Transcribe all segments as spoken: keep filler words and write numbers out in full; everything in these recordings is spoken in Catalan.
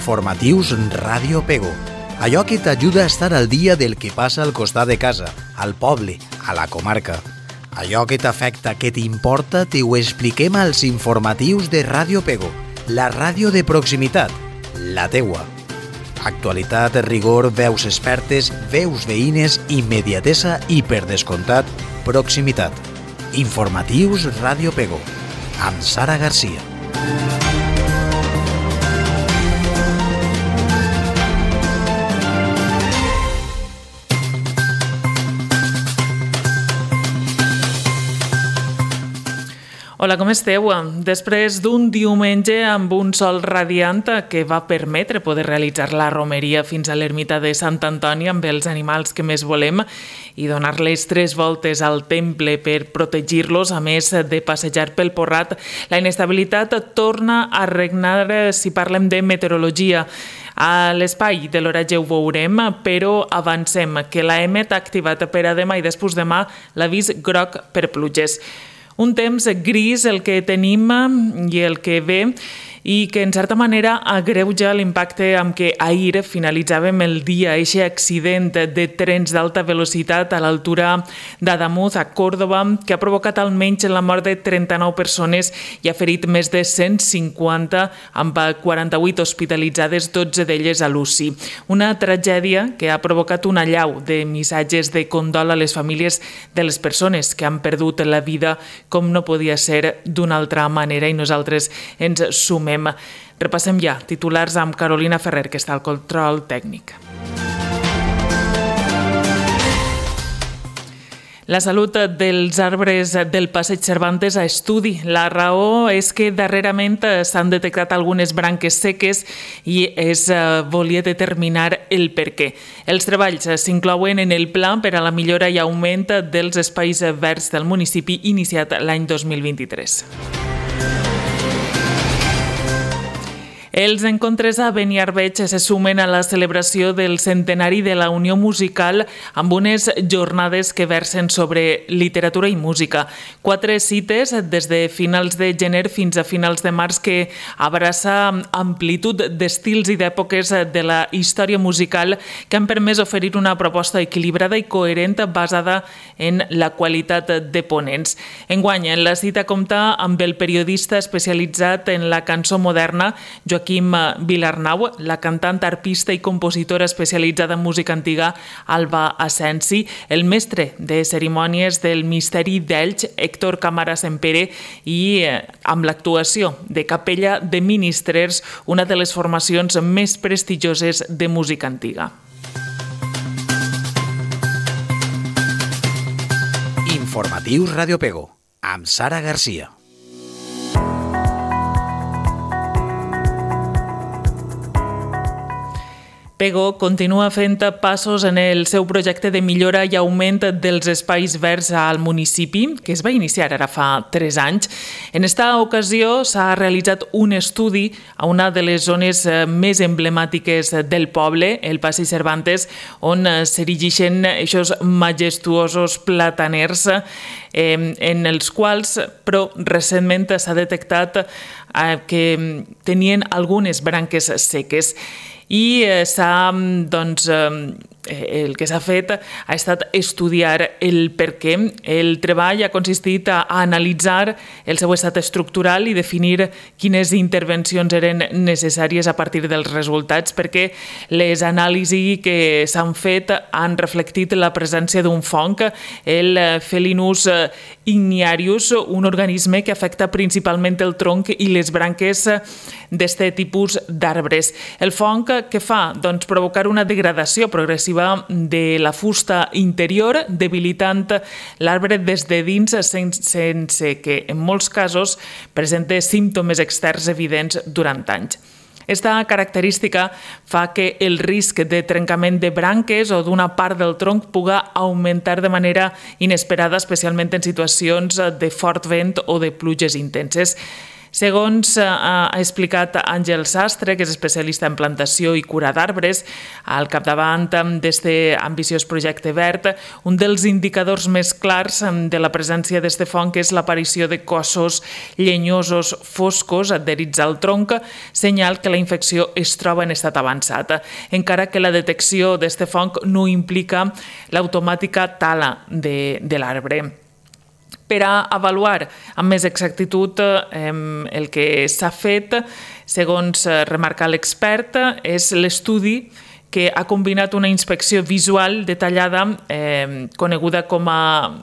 Informatius Ràdio Pego. Allò que t'ajuda a estar al dia del que passa al costat de casa, al poble, a la comarca. Allò que t'afecta, que t'importa, te ho expliquem als informatius de Ràdio Pego, la ràdio de proximitat, la teua. Actualitat, rigor, veus expertes, veus veïnes, immediatesa i, per descomptat, proximitat. Informatius Ràdio Pego, amb Sara Garcia. Hola, com esteu? Després d'un diumenge amb un sol radiant que va permetre poder realitzar la romeria fins a l'ermita de Sant Antoni amb els animals que més volem i donar-les tres voltes al temple per protegir-los, a més de passejar pel Porrat, la inestabilitat torna a regnar si parlem de meteorologia. A l'espai de l'oratge ho veurem, però avancem que l'A E M E T ha activat per a demà i després demà l'avís groc per pluges. Un temps gris el que tenim i el que ve i que en certa manera agreuja l'impacte amb què ahir finalitzàvem el dia. Eixe accident de trens d'alta velocitat a l'altura d'Adamuz, a Còrdova, que ha provocat almenys la mort de trenta-nou persones i ha ferit més de cent cinquanta, amb quaranta-vuit hospitalitzades, dotze d'elles a l'U C I. Una tragèdia que ha provocat una allau de missatges de condol a les famílies de les persones que han perdut la vida, com no podia ser d'una altra manera, i nosaltres ens sumem. Repassem ja titulars amb Carolina Ferrer, que està al control tècnic. La salut dels arbres del Passeig Cervantes a estudi. La raó és que darrerament s'han detectat algunes branques seques i es volia determinar el per què. Els treballs s'inclouen en el pla per a la millora i augment dels espais verds del municipi iniciat l'any dos mil vint-i-tres. Els encontres a Beniarbeig se sumen a la celebració del centenari de la Unió Musical amb unes jornades que versen sobre literatura i música. Quatre cites des de finals de gener fins a finals de març que abraça amplitud d'estils i d'èpoques de la història musical que han permès oferir una proposta equilibrada i coherent basada en la qualitat de ponents. Enguany, la cita compta amb el periodista especialitzat en la cançó moderna, Joaquim Joaquim Vilarnau, la cantant, arpista i compositora especialitzada en música antiga, Alba Asensi, el mestre de cerimònies del Misteri d'Elx, Héctor Camara Sempere, i amb l'actuació de Capella de Ministrers, una de les formacions més prestigioses de música antiga. Informatius Ràdio Pego, amb Sara Garcia. Pego continua fent passos en el seu projecte de millora i augment dels espais verds al municipi, que es va iniciar ara fa tres anys. En esta ocasió s'ha realitzat un estudi a una de les zones més emblemàtiques del poble, el Passeig Cervantes, on s'erigeixen aquests majestuosos plataners en els quals, però recentment s'ha detectat que tenien algunes branques seques. I s'ha, doncs, el que s'ha fet ha estat estudiar el per què. El treball ha consistit a analitzar el seu estat estructural i definir quines intervencions eren necessàries a partir dels resultats, perquè les anàlisis que s'han fet han reflectit la presència d'un fong, el Felinus igniarius, un organisme que afecta principalment el tronc i les branques d'aquest tipus d'arbres. El fong què fa? Doncs provocar una degradació progressiva de la fusta interior, debilitant l'arbre des de dins sense que, en molts casos, presenta símptomes externs evidents durant anys. Esta característica fa que el risc de trencament de branques o d'una part del tronc puga augmentar de manera inesperada, especialment en situacions de fort vent o de pluges intenses. Segons ha explicat Àngel Sastre, que és especialista en plantació i cura d'arbres, al capdavant d'este ambiciós projecte verd, un dels indicadors més clars de la presència d'este fong és l'aparició de cossos llenyosos foscos adherits al tronc, senyal que la infecció es troba en estat avançat, encara que la detecció d'este fong no implica l'automàtica tala de, de l'arbre. Per a avaluar amb més exactitud eh, el que s'ha fet, segons remarca l'expert, és l'estudi que ha combinat una inspecció visual detallada, eh, coneguda com a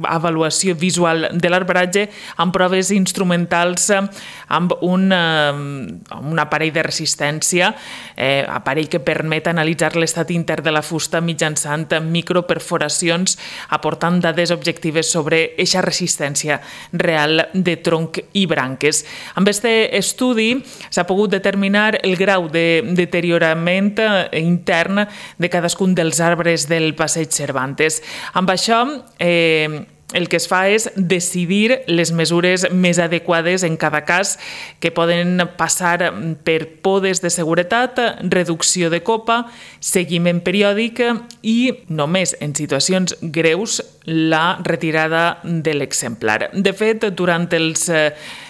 avaluació visual de l'arbratge, amb proves instrumentals amb un, eh, un aparell de resistència, eh, aparell que permet analitzar l'estat intern de la fusta mitjançant microperforacions, aportant dades objectives sobre eixa resistència real de tronc i branques. Amb aquest estudi s'ha pogut determinar el grau de deteriorament intern de cadascun dels arbres del passeig Cervantes. Amb això, eh, el que es fa és decidir les mesures més adequades en cada cas, que poden passar per podes de seguretat, reducció de copa, seguiment periòdic i, només en situacions greus, la retirada de l'exemplar. De fet, durant els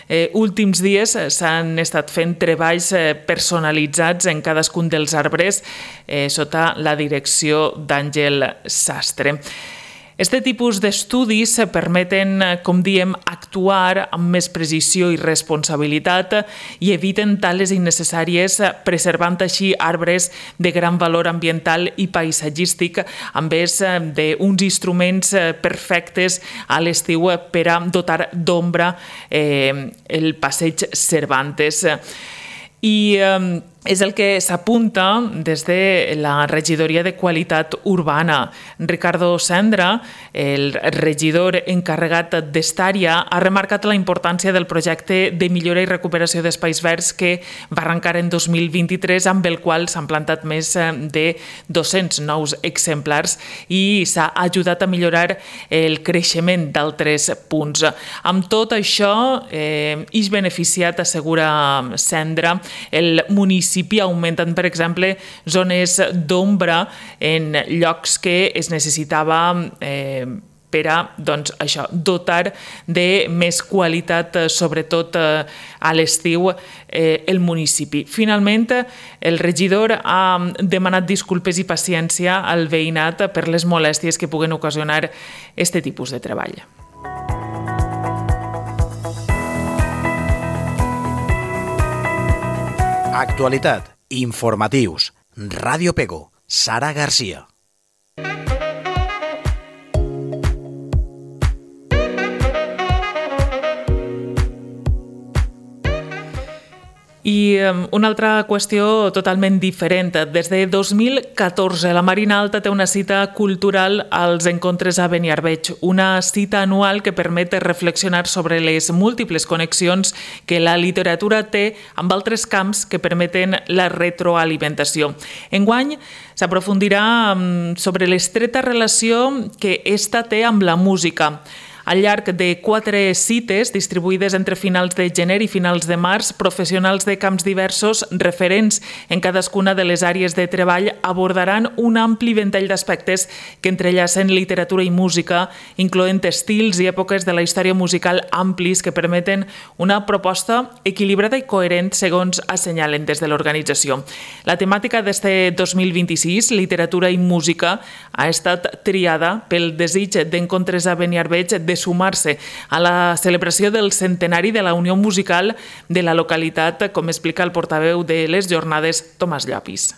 Eh, últims dies s'han estat fent treballs eh, personalitzats en cadascun dels arbres eh, sota la direcció d'Àngel Sastre. Este tipus d'estudis permeten, com diem, actuar amb més precisió i responsabilitat i eviten tales innecessàries, preservant així arbres de gran valor ambiental i paisatgístic, amb més d'uns instruments perfectes a l'estiu per a dotar d'ombra eh, el passeig Cervantes. I eh, és el que s'apunta des de la regidoria de qualitat urbana. Ricardo Sendra, el regidor encarregat d'esta-àrea, ha remarcat la importància del projecte de millora i recuperació d'espais verds que va arrencar en dos mil vint-i-tres, amb el qual s'han plantat més de dos-cents nous exemplars i s'ha ajudat a millorar el creixement d'altres punts. Amb tot això, eh, és beneficiat, assegura Sendra, el municipi augmentant, per exemple, zones d'ombra en llocs que es necessitava eh, per a doncs, això, dotar de més qualitat, sobretot eh, a l'estiu, eh, el municipi. Finalment, el regidor ha demanat disculpes i paciència al veïnat per les molèsties que puguen ocasionar aquest tipus de treball. Actualitat, informatius, Ràdio Pego, Sara Garcia. I una altra qüestió totalment diferent. Des de dos mil catorze, la Marina Alta té una cita cultural als encontres a Beniarbeig, una cita anual que permet reflexionar sobre les múltiples connexions que la literatura té amb altres camps que permeten la retroalimentació. Enguany s'aprofundirà sobre l'estreta relació que esta té amb la música. Al llarg de quatre cites, distribuïdes entre finals de gener i finals de març, professionals de camps diversos, referents en cadascuna de les àrees de treball, abordaran un ampli ventall d'aspectes que entrellacen literatura i música, incloent estils i èpoques de la història musical amplis que permeten una proposta equilibrada i coherent, segons assenyalen des de l'organització. La temàtica d'este dos mil vint-i-sis, literatura i música, ha estat triada pel desig d'encontres a Beniarbeig de de sumar-se a la celebració del centenari de la Unió Musical de la localitat, com explica el portaveu de les jornades, Tomàs Llopis.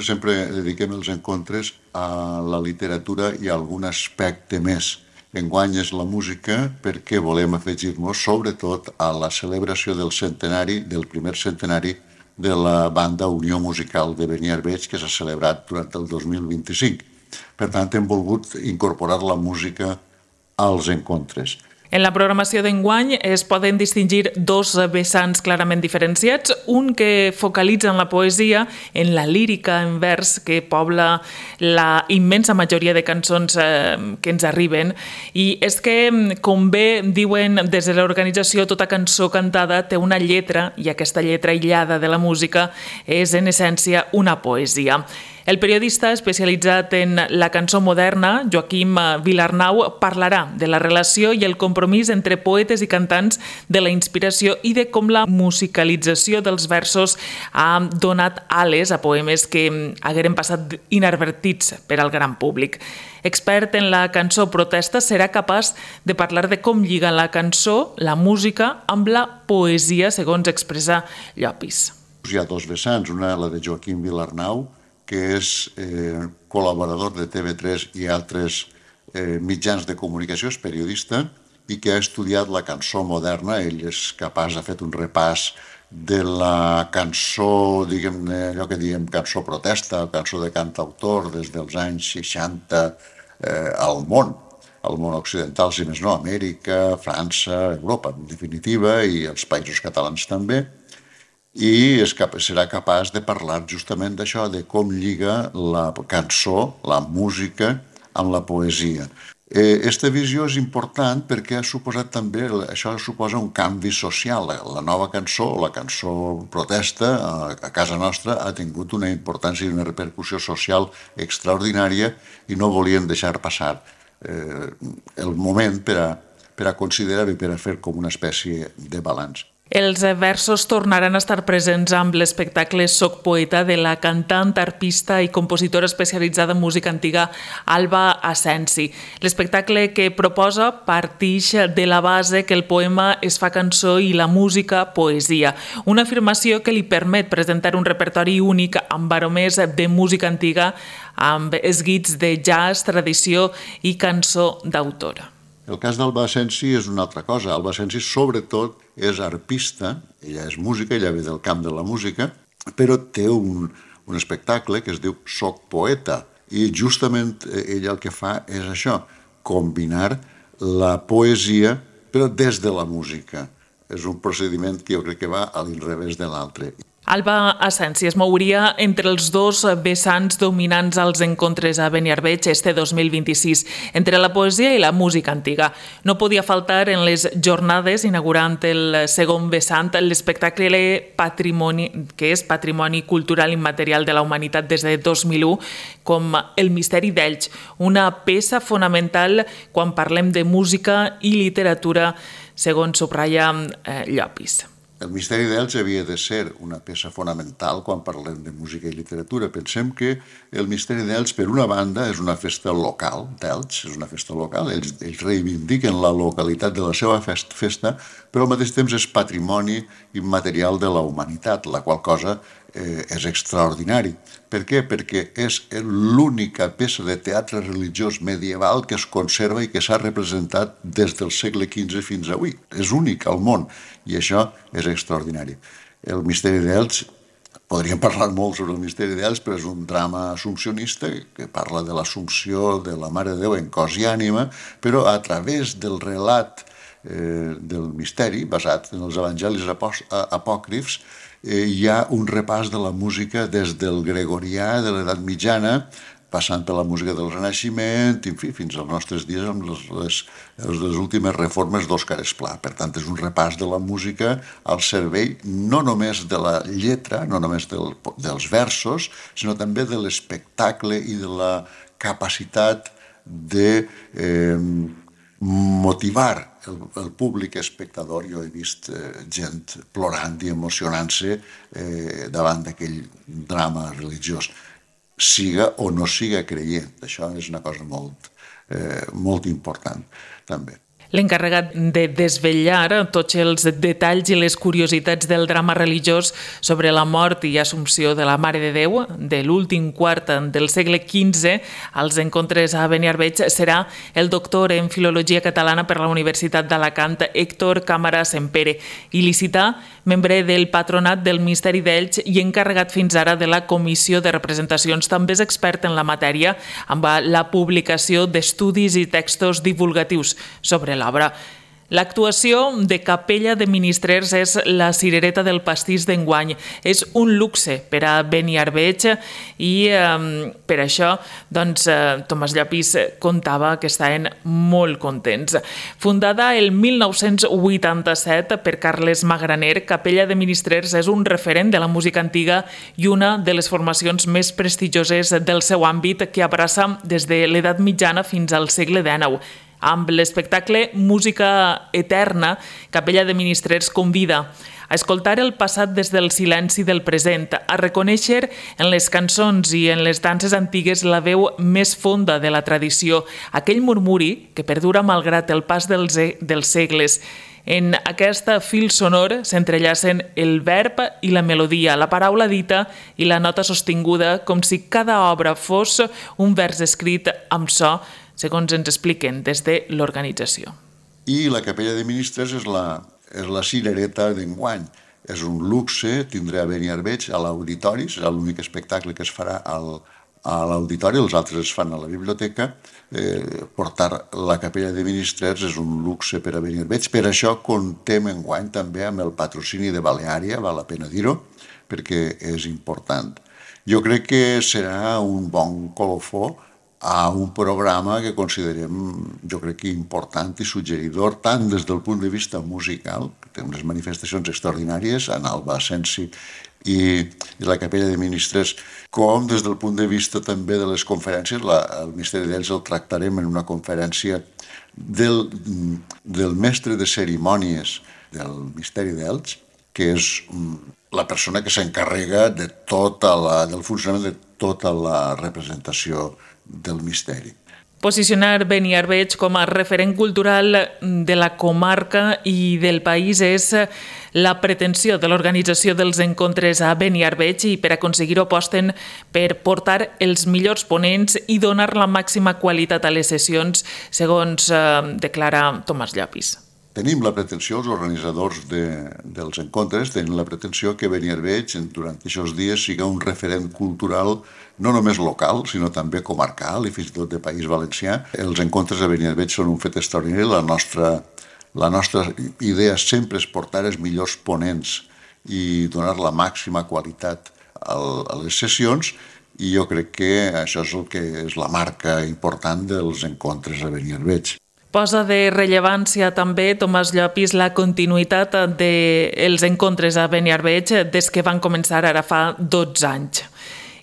Sempre dediquem els encontres a la literatura i a algun aspecte més. Enguany és la música perquè volem afegir-nos sobretot a la celebració del centenari, del primer centenari de la banda Unió Musical de Beniarbeig, que s'ha celebrat durant el dos mil vint-i-cinc. Per tant, hem volgut incorporar la música als encontres. En la programació d'enguany es poden distingir dos vessants clarament diferenciats, un que focalitza en la poesia, en la lírica en vers que pobla la immensa majoria de cançons eh, que ens arriben, i és que, com bé diuen des de l'organització, tota cançó cantada té una lletra i aquesta lletra aïllada de la música és en essència una poesia. El periodista especialitzat en la cançó moderna, Joaquim Vilarnau, parlarà de la relació i el compromís entre poetes i cantants, de la inspiració i de com la musicalització dels versos ha donat ales a poemes que hagueren passat inadvertits per al gran públic. Expert en la cançó protesta, serà capaç de parlar de com lliga la cançó, la música, amb la poesia, segons expressa Llopis. Hi ha dos vessants, una la de Joaquim Vilarnau, que és eh, col·laborador de T V tres i altres eh, mitjans de comunicació, és periodista, i que ha estudiat la cançó moderna. Ell és capaç, ha fet un repàs de la cançó, diguem-ne, allò que diem cançó protesta, cançó de cantautor des dels anys seixanta eh, al món, al món occidental, si més no, Amèrica, França, Europa, en definitiva, i els països catalans també. I és cap, serà capaç de parlar justament d'això, de com lliga la cançó, la música, amb la poesia. Aquesta visió és important perquè ha suposat també, això suposa un canvi social. La nova cançó, la cançó protesta, a casa nostra ha tingut una importància i una repercussió social extraordinària i no volien deixar passar eh, el moment per a, per a considerar i per a fer com una espècie de balanç. Els versos tornaran a estar presents amb l'espectacle Soc poeta de la cantant, arpista i compositora especialitzada en música antiga Alba Asensi. L'espectacle que proposa partix de la base que el poema es fa cançó i la música poesia, una afirmació que li permet presentar un repertori únic amb aromers de música antiga, amb esguits de jazz, tradició i cançó d'autora. El cas d'Alba Asensi és una altra cosa. Alba Asensi, sobretot, és arpista, ella és música, ella ve del camp de la música, però té un, un espectacle que es diu Soc poeta, i justament ella el que fa és això, combinar la poesia, però des de la música. És un procediment que jo crec que va a l'inrevés de l'altre. Alba Asensi es mouria entre els dos vessants dominants als encontres a Beniarbeig este dos mil vint-i-sis, entre la poesia i la música antiga. No podia faltar en les jornades, inaugurant el segon vessant, l'espectacle Patrimoni, que és Patrimoni Cultural Immaterial de la Humanitat des de dos mil u, com El misteri d'Elx, una peça fonamental quan parlem de música i literatura, segons subratlla eh, Llopis. El misteri d'Elx havia de ser una peça fonamental quan parlem de música i literatura. Pensem que el misteri d'Elx, per una banda, és una festa local d'Elx, és una festa local, ells, ells reivindiquen la localitat de la seva festa, però al mateix temps és patrimoni immaterial de la humanitat, la qual cosa eh, és extraordinari. Per què? Perquè és l'única peça de teatre religiós medieval que es conserva i que s'ha representat des del segle quinze fins avui. És únic al món i això és extraordinari. El misteri d'Elx, podríem parlar molt sobre el misteri d'Elx, però és un drama assumpcionista que parla de l'assumpció de la Mare de Déu en cos i ànima, però a través del relat eh, del misteri, basat en els evangelis apòcrifs, eh, hi ha un repàs de la música des del gregorià, de l'edat mitjana, passant per la música del Renaixement, en fi, fins als nostres dies amb les, les, les últimes reformes d'Òscar Esplà. Per tant, és un repàs de la música al servei no només de la lletra, no només del, dels versos, sinó també de l'espectacle i de la capacitat de eh, motivar el, el públic espectador. Jo he vist eh, gent plorant i emocionant-se eh, davant d'aquell drama religiós, siga o no siga creient. Això és una cosa molt, eh, molt important, també. L'encarregat de desvetllar tots els detalls i les curiositats del drama religiós sobre la mort i assumpció de la Mare de Déu de l'últim quart del segle quinze als encontres a Beniarbeig serà el doctor en Filologia Catalana per la Universitat d'Alacant, Héctor Cámara Sempere, il·licità, membre del patronat del Misteri d'Elx i encarregat fins ara de la Comissió de Representacions. També és expert en la matèria amb la publicació d'estudis i textos divulgatius sobre l'obra. L'actuació de Capella de Ministrers és la cirereta del pastís d'enguany. És un luxe per a Beniarbeig i eh, per això doncs, eh, Tomàs Llopis contava que estaven molt contents. Fundada el mil nou-cents vuitanta-set per Carles Magraner, Capella de Ministrers és un referent de la música antiga i una de les formacions més prestigioses del seu àmbit que abraça des de l'edat mitjana fins al segle dinou. Amb l'espectacle Música Eterna, Capella de Ministrers convida a escoltar el passat des del silenci del present, a reconèixer en les cançons i en les danses antigues la veu més fonda de la tradició, aquell murmuri que perdura malgrat el pas dels, dels segles. En aquesta fil sonor s'entrellacen el verb i la melodia, la paraula dita i la nota sostinguda, com si cada obra fos un vers escrit amb so, segons ens expliquen des de l'organització. I la Capella de Ministres és la, és la cirereta d'enguany. És un luxe tindre a Beniarbeig a l'auditori, serà l'únic espectacle que es farà al, a l'auditori, els altres es fan a la biblioteca. Eh, portar la Capella de Ministrers és un luxe per a Beniarbeig. Per això contem enguany també amb el patrocini de Baleària, val la pena dir-ho, perquè és important. Jo crec que serà un bon colofó a un programa que considerem, jo crec que important i suggeridor, tant des del punt de vista musical, que té unes manifestacions extraordinàries, en Alba Asensi i, i la Capella de Ministres, com des del punt de vista també de les conferències. La, el Misteri d'Elx el tractarem en una conferència del, del mestre de cerimònies del Misteri d'Elx, que és la persona que s'encarrega de tota la, del funcionament de tota la representació del misteri. Posicionar Beniarbeig com a referent cultural de la comarca i del país és la pretensió de l'organització dels encontres a Beniarbeig i per aconseguir-ho aposten per portar els millors ponents i donar la màxima qualitat a les sessions, segons eh, declara Tomàs Llopis. Tenim la pretensió, els organitzadors de, dels encontres, tenen la pretensió que Beniarbeig durant aquests dies siga un referent cultural no només local, sinó també comarcal i fins i tot de País Valencià. Els encontres de Beniarbeig són un fet extraordinari. La nostra, la nostra idea sempre és portar els millors ponents i donar la màxima qualitat a les sessions, i jo crec que això és el que és la marca important dels encontres a Beniarbeig. Posa de rellevància també, Tomàs Llopis, la continuïtat dels encontres a Beniarbeig des que van començar ara fa dotze anys.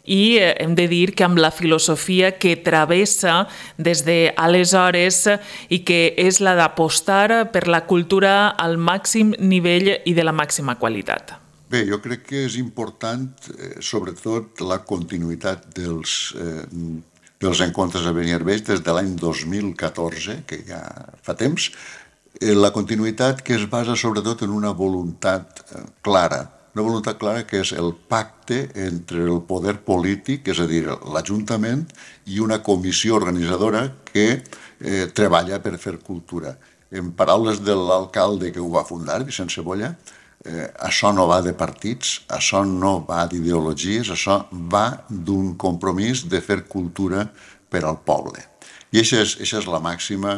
I hem de dir que amb la filosofia que travessa des d'aleshores i que és la d'apostar per la cultura al màxim nivell i de la màxima qualitat. Bé, jo crec que és important, eh, sobretot, la continuïtat dels... Eh, dels encontres a Beniarbeig des de l'any dos mil catorze, que ja fa temps, la continuïtat que es basa sobretot en una voluntat clara, una voluntat clara que és el pacte entre el poder polític, és a dir, l'Ajuntament, i una comissió organitzadora que eh, treballa per fer cultura. En paraules de l'alcalde que ho va fundar, Vicent Cebolla, Eh, això no va de partits, això no va d'ideologies, això va d'un compromís de fer cultura per al poble. I això és, això és la màxima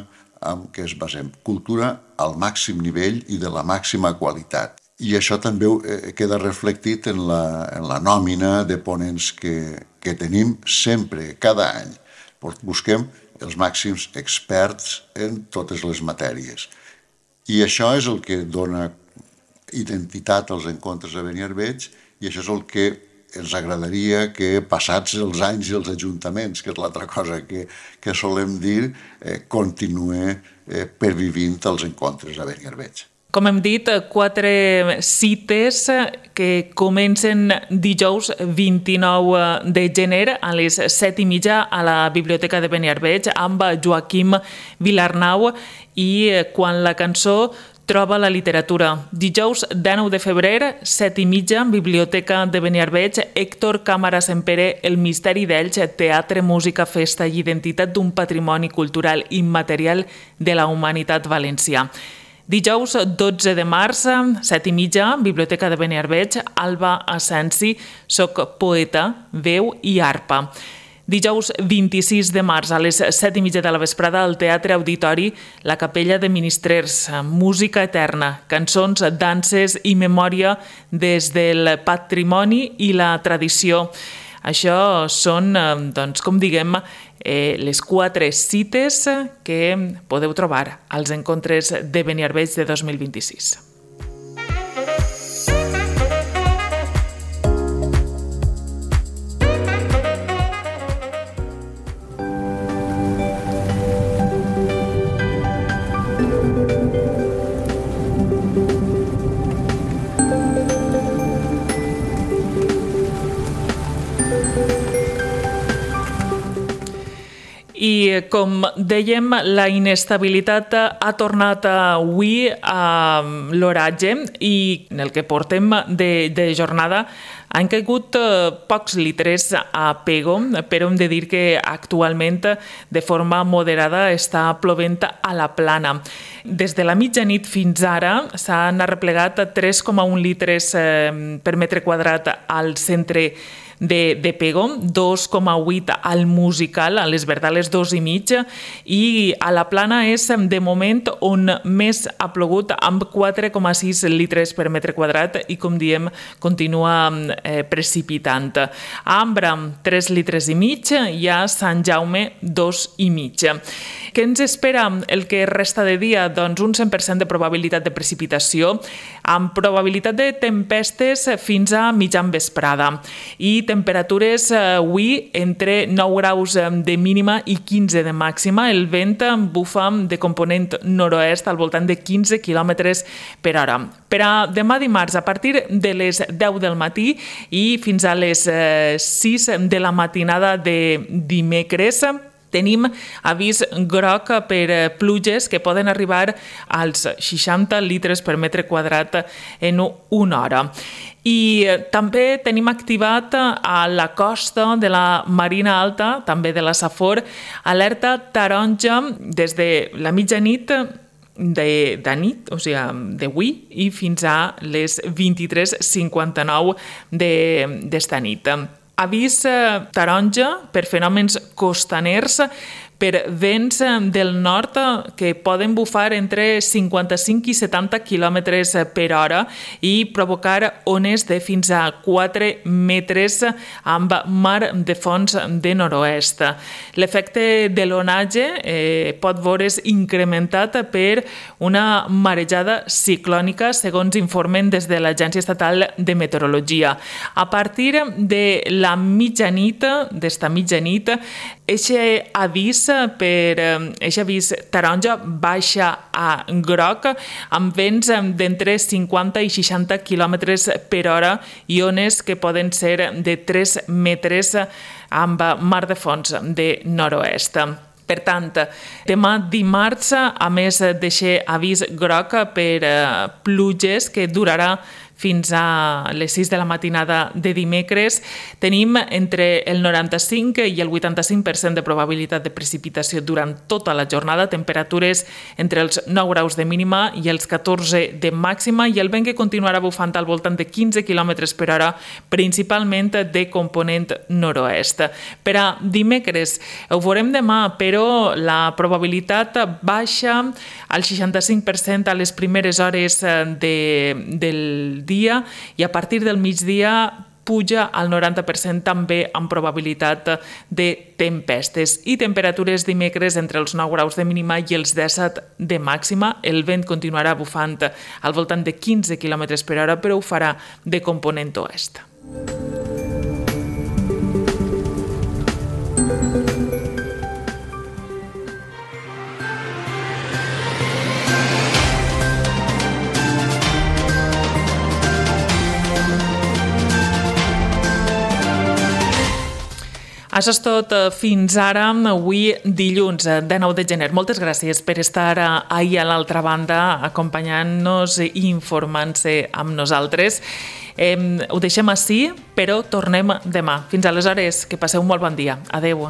en què es basem. Cultura al màxim nivell i de la màxima qualitat. I això també eh, queda reflectit en la, en la nòmina de ponents que, que tenim sempre, cada any. Busquem els màxims experts en totes les matèries. I això és el que dona identitat als encontres a Beniarbeig, i això és el que ens agradaria que, passats els anys i els ajuntaments, que és l'altra cosa que, que solem dir, eh, continue eh, pervivint els encontres a Beniarbeig. Com hem dit, quatre cites que comencen dijous vint-i-nou de gener a les set i mitja a la Biblioteca de Beniarbeig amb Joaquim Vilarnau i Quan la cançó troba la literatura. Dijous dinou de febrer, set i mitja, Biblioteca de Beniarbeig, Héctor Cámara Sempere, El misteri d'Elx, teatre, música, festa i identitat d'un patrimoni cultural immaterial de la humanitat valencià. Dijous dotze de març, set i mitja, Biblioteca de Beniarbeig, Alba Asensi, Soc poeta, veu i arpa. Dijous vint-i-sis de març a les set i mitja de la vesprada al Teatre Auditori, la Capella de Ministrers, música eterna, cançons, danses i memòria des del patrimoni i la tradició. Això són, doncs, com diguem, eh, les quatre cites que podeu trobar als encontres de Beniarbeig de dos mil vint-i-sis. I com dèiem, la inestabilitat ha tornat avui a l'oratge i en el que portem de, de jornada han caigut pocs litres a Pego, però hem de dir que actualment de forma moderada està plovent a la plana. Des de la mitjanit fins ara s'han arreplegat tres coma un litres per metre quadrat al centre de, de Pego, dos coma vuit al Musical, a les Verdales dos i mig, i a la plana és de moment on més ha plogut amb quatre coma sis litres per metre quadrat i, com diem, continua eh, precipitant. A Ambra, tres litres i mig, i a Sant Jaume, dos i mig. Què ens espera el que resta de dia? Doncs un cent per cent de probabilitat de precipitació, amb probabilitat de tempestes fins a mitjan vesprada. I temperatures avui entre nou graus de mínima i quinze de màxima. El vent bufa de component nord-oest al voltant de quinze quilòmetres per hora. Per a demà dimarts, a partir de les deu del matí i fins a les sis de la matinada de dimecres, tenim avís groc per pluges que poden arribar als seixanta litres per metre quadrat en una hora. I també tenim activat a la costa de la Marina Alta, també de la Safor, alerta taronja des de la mitjanit de, de nit, o sigui, d'avui, i fins a les vint-i-tres cinquanta-nou d'esta nit. Avís taronja per fenòmens costaners, per vents del nord que poden bufar entre cinquanta-cinc i setanta quilòmetres per hora i provocar ones de fins a quatre metres amb mar de fons de nord-oest. L'efecte de l'onatge eh, pot veure's incrementat per una marejada ciclònica, segons informen des de l'Agència Estatal de Meteorologia. A partir de la mitjanit, d'esta mitjanit, eixe avís per eixe avís taronja baixa a groc amb vents d'entre cinquanta i seixanta quilòmetres per hora i ones que poden ser de tres metres amb mar de fons de nord-oest. Per tant, demà dimarts, a més d'eixe avís groc per pluges que durarà fins a les sis de la matinada de dimecres, tenim entre el noranta-cinc i el vuitanta-cinc per cent de probabilitat de precipitació durant tota la jornada, temperatures entre els nou graus de mínima i els catorze de màxima, i el vent que continuarà bufant al voltant de quinze quilòmetres per hora, principalment de component nord-oest. Per a dimecres ho veurem demà, però la probabilitat baixa al seixanta-cinc per cent a les primeres hores de, del dia i a partir del migdia puja al noranta per cent també amb probabilitat de tempestes i temperatures dimecres entre els nou graus de mínima i els disset de màxima. El vent continuarà bufant al voltant de quinze quilòmetres per hora, però ho farà de component oest. Això és tot fins ara, avui dilluns de nou de gener. Moltes gràcies per estar ahir a l'altra banda acompanyant-nos i informant-se amb nosaltres. Eh, ho deixem així, però tornem demà. Fins aleshores, que passeu un molt bon dia. Adéu.